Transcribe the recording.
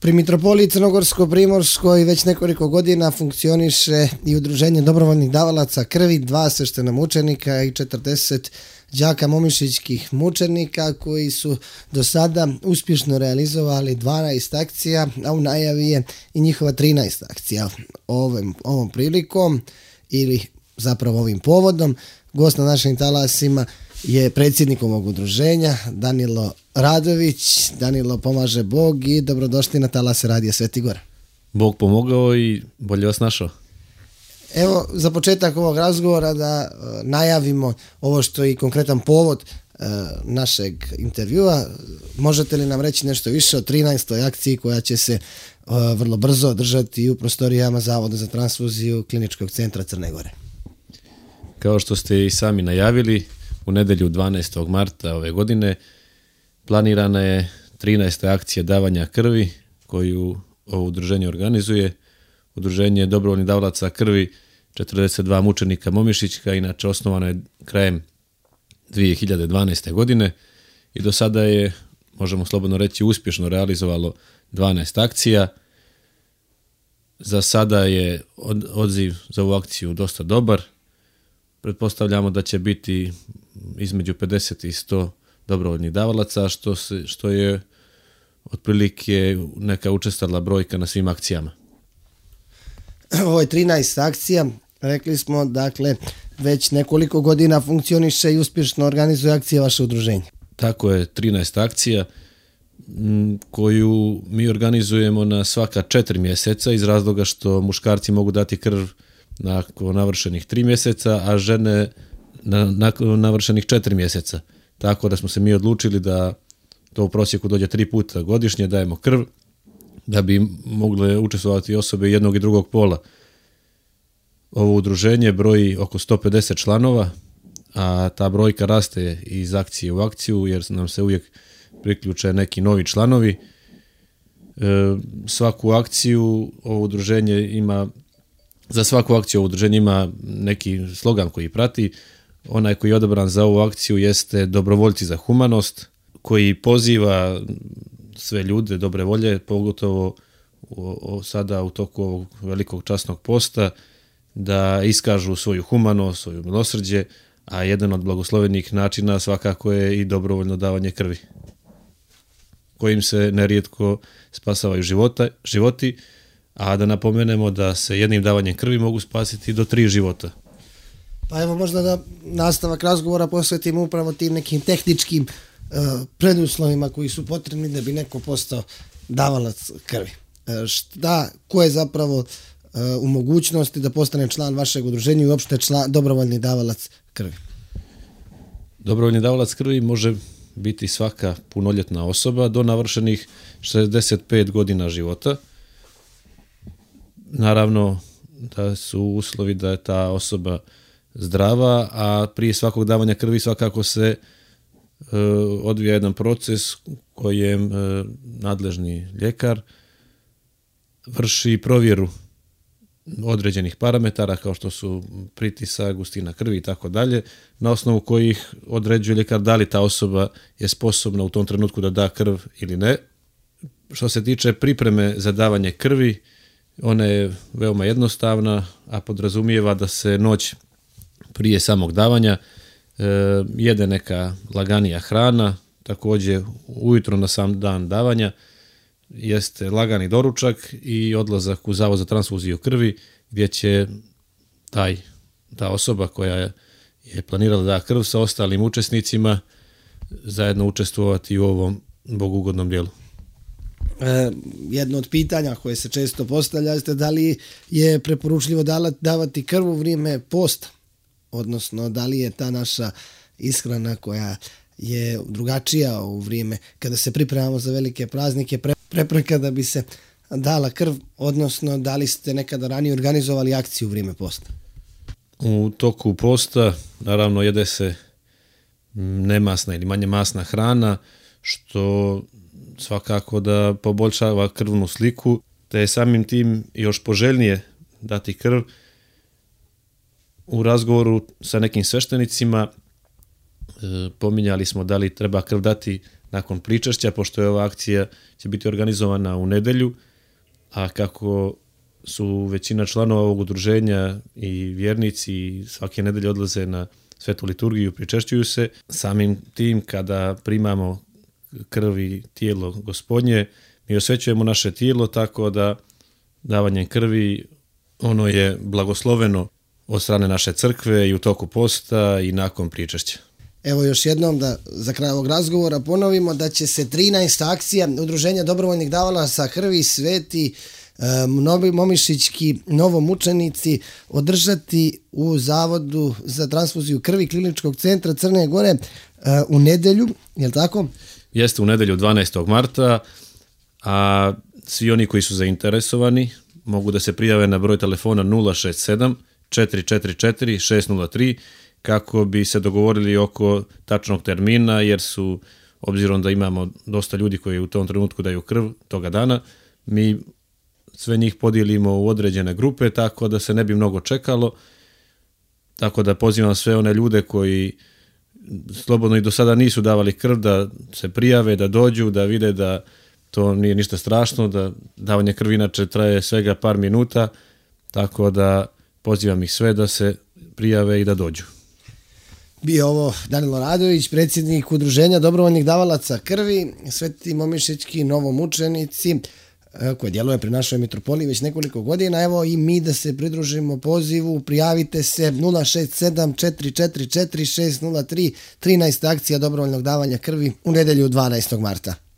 Pri Mitropoliji Crnogorsko-Primorskoj već nekoliko godina funkcioniše i udruženje dobrovoljnih davalaca krvi, 2 sveštena mučenika i 40 đaka momišićkih mučenika koji su do sada uspješno realizovali 12 akcija, a u najavi je i njihova 13 akcija. Ovom prilikom ili zapravo ovim povodom gost na našim talasima je predsjednik ovog udruženja Danilo Radović. Danilo, pomaže Bog i dobrodošli na talase Radija Sveti Gora. Bog pomogao i bolje vas našao. Evo, za početak ovog razgovora da najavimo ovo što je i konkretan povod našeg intervjua. Možete li nam reći nešto više o 13. akciji koja će se vrlo brzo održati u prostorijama Zavoda za transfuziju Kliničkog centra Crne Gore? Kao što ste i sami najavili, u nedjelju 12. marta ove godine planirana je 13. akcija davanja krvi koju ovo udruženje organizuje. Udruženje dobrovoljnih davalaca krvi 42 mučenika Momišićka, inače osnovano je krajem 2012. godine i do sada je, možemo slobodno reći, uspješno realizovalo 12 akcija. Za sada je odziv za ovu akciju dosta dobar. Pretpostavljamo da će biti između 50 i 100 dobrovoljnih davalaca, što je otprilike neka učestala brojka na svim akcijama. Ovo je 13 akcija, rekli smo, dakle, već nekoliko godina funkcioniše i uspješno organizuje akcije vaše udruženje. Tako je, 13 akcija koju mi organizujemo na svaka 4 mjeseca iz razloga što muškarci mogu dati krv nakon navršenih 3 mjeseca, a žene nakon navršenih 4 mjeseca. Tako da smo se mi odlučili da to u prosjeku dođe 3 puta godišnje, dajemo krv, da bi mogle učestvovati osobe jednog i drugog pola. Ovo udruženje broji oko 150 članova, a ta brojka raste iz akcije u akciju jer nam se uvijek priključe neki novi članovi. Svaku akciju ovo udruženje ima, za svaku akciju ovo udruženje ima neki slogan koji prati. Onaj koji je odabran za ovu akciju jeste Dobrovoljci za humanost, koji poziva sve ljude dobre volje, pogotovo sada u toku ovog velikog časnog posta, da iskažu svoju humanost, svoju milosrđe, a jedan od blagoslovenih načina svakako je i dobrovoljno davanje krvi, kojim se nerijetko spasavaju životi, a da napomenemo da se jednim davanjem krvi mogu spasiti do 3 života. Pa evo, možda da nastavak razgovora posvetimo upravo tim nekim tehničkim preduslovima koji su potrebni da bi neko postao davalac krvi. Ko je zapravo u mogućnosti da postane član vašeg udruženja i uopšte dobrovoljni davalac krvi? Dobrovoljni davalac krvi može biti svaka punoljetna osoba do navršenih 65 godina života. Naravno da su uslovi da je ta osoba zdrava, a prije svakog davanja krvi svakako se odvija jedan proces kojem nadležni ljekar vrši provjeru određenih parametara kao što su pritisak, gustina krvi i tako dalje, na osnovu kojih određuje ljekar da li ta osoba je sposobna u tom trenutku da da krv ili ne. Što se tiče pripreme za davanje krvi, ona je veoma jednostavna, a podrazumijeva da se noć prije samog davanja jede neka laganija hrana, također ujutro na sam dan davanja jeste lagani doručak i odlazak u Zavod za transfuziju krvi gdje će ta osoba koja je planirala da da krv sa ostalim učesnicima zajedno učestvovati u ovom bogugodnom dijelu. Jedno od pitanja koje se često postavlja jeste da li je preporučljivo davati krv u vrijeme posta, odnosno da li je ta naša ishrana koja je drugačija u vrijeme kada se pripremamo za velike praznike prepreka da bi se dala krv, odnosno da li ste nekada ranije organizovali akciju u vrijeme posta? U toku posta naravno jede se nemasna ili manje masna hrana, što svakako da poboljšava krvnu sliku, te je samim tim još poželjnije dati krv. U razgovoru sa nekim sveštenicima pominjali smo da li treba krv dati nakon pričešća, pošto je ova akcija će biti organizovana u nedjelju, a kako su većina članova ovog udruženja i vjernici i svake nedelje odlaze na svetu liturgiju, pričešćuju se, samim tim kada primamo krv i tijelo Gospodnje, mi osvećujemo naše tijelo tako da davanjem krvi ono je blagosloveno od strane naše crkve i u toku posta i nakon pričešća. Evo još jednom da za kraj ovog razgovora ponovimo da će se 13. akcija Udruženja dobrovoljnih davalaca krvi Sveti Momišićki novomučenici održati u Zavodu za transfuziju krvi Kliničkog centra Crne Gore u nedjelju, je li tako? Jeste, u nedjelju 12. marta, a svi oni koji su zainteresovani mogu da se prijave na broj telefona 067 444 603 kako bi se dogovorili oko tačnog termina, jer su, obzirom da imamo dosta ljudi koji u tom trenutku daju krv toga dana, mi sve njih podijelimo u određene grupe, tako da se ne bi mnogo čekalo, tako da pozivam sve one ljude koji slobodno i do sada nisu davali krv da se prijave, da dođu, da vide da to nije ništa strašno, da davanje krvi inače traje svega par minuta, tako da pozivam ih sve da se prijave i da dođu. Bio ovo Danilo Radović, predsjednik Udruženja dobrovoljnih davalaca krvi, Sveti Momišićki novomučenici, koje djeluje pri našoj mitropoliji već nekoliko godina. Evo i mi da se pridružimo pozivu, prijavite se 067 444 603, 13. akcija dobrovoljnog davanja krvi u nedjelju 12. marta.